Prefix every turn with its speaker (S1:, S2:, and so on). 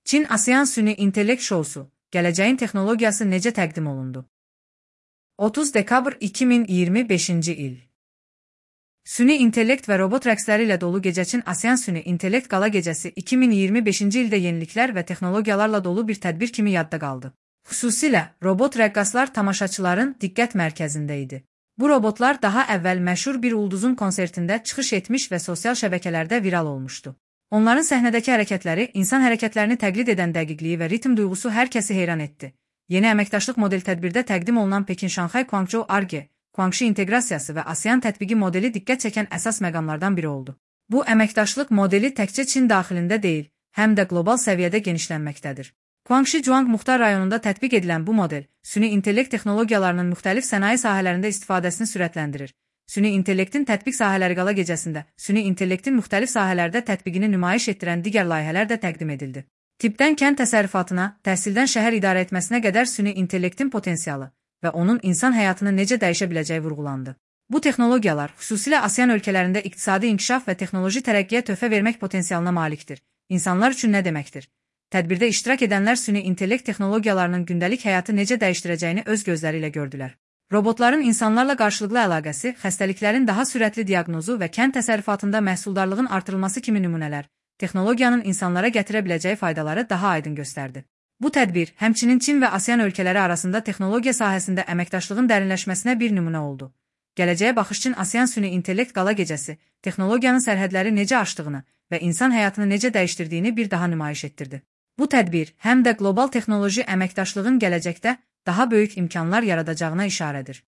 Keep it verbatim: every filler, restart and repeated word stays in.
S1: Çin ASEAN Süni İntellekt Şousu, gələcəyin texnologiyası necə təqdim olundu? otuz dekabr iki min iyirmi beşinci il. Süni intellekt və robot rəqsləri ilə dolu gecə Çin ASEAN Süni İntellekt Qala Gecəsi iki min iyirmi beşinci ildə yeniliklər və texnologiyalarla dolu bir tədbir kimi yadda qaldı. Xüsusilə robot rəqqaslar tamaşaçıların diqqət mərkəzində idi. Bu robotlar daha əvvəl məşhur bir ulduzun konsertində çıxış etmiş və sosial şəbəkələrdə viral olmuşdu. Onların səhnədəki hərəkətləri, insan hərəkətlərini təqlid edən dəqiqliyi və ritm duyğusu hər kəsi heyran etdi. Yeni əməkdaşlıq model tədbirdə təqdim olunan Pekin-Şanxay Guangzhou Arge, Guangxi inteqrasiyası və ASEAN tətbiqi modeli diqqət çəkən əsas məqamlardan biri oldu. Bu əməkdaşlıq modeli təkcə Çin daxilində deyil, həm də qlobal səviyyədə genişlənməkdədir. Guangxi Zhuang Muxtar rayonunda tətbiq edilən bu model, süni intellekt texnologiyalarının müxtəlif sənaye sahələrində istifadəsini sürətləndirir. Süni intellektin tətbiq sahələri Qala Gecəsində, süni intellektin müxtəlif sahələrdə tətbiqini nümayiş etdirən digər layihələr də təqdim edildi. Tibbdən kənd təsərrüfatına, təhsildən şəhər idarə etməsinə qədər süni intellektin potensialı və onun insan həyatını necə dəyişə biləcəyi vurğulandı. Bu texnologiyalar xüsusilə ASEAN ölkələrində iqtisadi inkişaf və texnoloji tərəqqiyə töhfə vermək potensialına malikdir. İnsanlar üçün nə deməkdir? Tədbirdə iştirak edənlər süni intellekt texnologiyalarının gündəlik həyatı necə dəyişdirəcəyini öz gözləri ilə gördülər. Robotların insanlarla qarşılıqlı əlaqəsi, xəstəliklərin daha sürətli diaqnozu və kənd təsərrüfatında məhsuldarlığın artırılması kimi nümunələr, texnologiyanın insanlara gətirə biləcəyi faydaları daha aydın göstərdi. Bu tədbir, həmçinin Çin və ASEAN ölkələri arasında texnologiya sahəsində əməkdaşlığın dərinləşməsinə bir nümunə oldu. Gələcəyə baxış Çin ASEAN Süni İntellekt Qala Gecəsi, texnologiyanın sərhədləri necə aşdığını və insan həyatını necə dəyişdirdiyini bir daha nümayiş etdirdi. Bu tədbir, həm də qlobal texnoloji əməkdaşlığın gələcəkdə daha böyük imkanlar yaradacağına işarədir.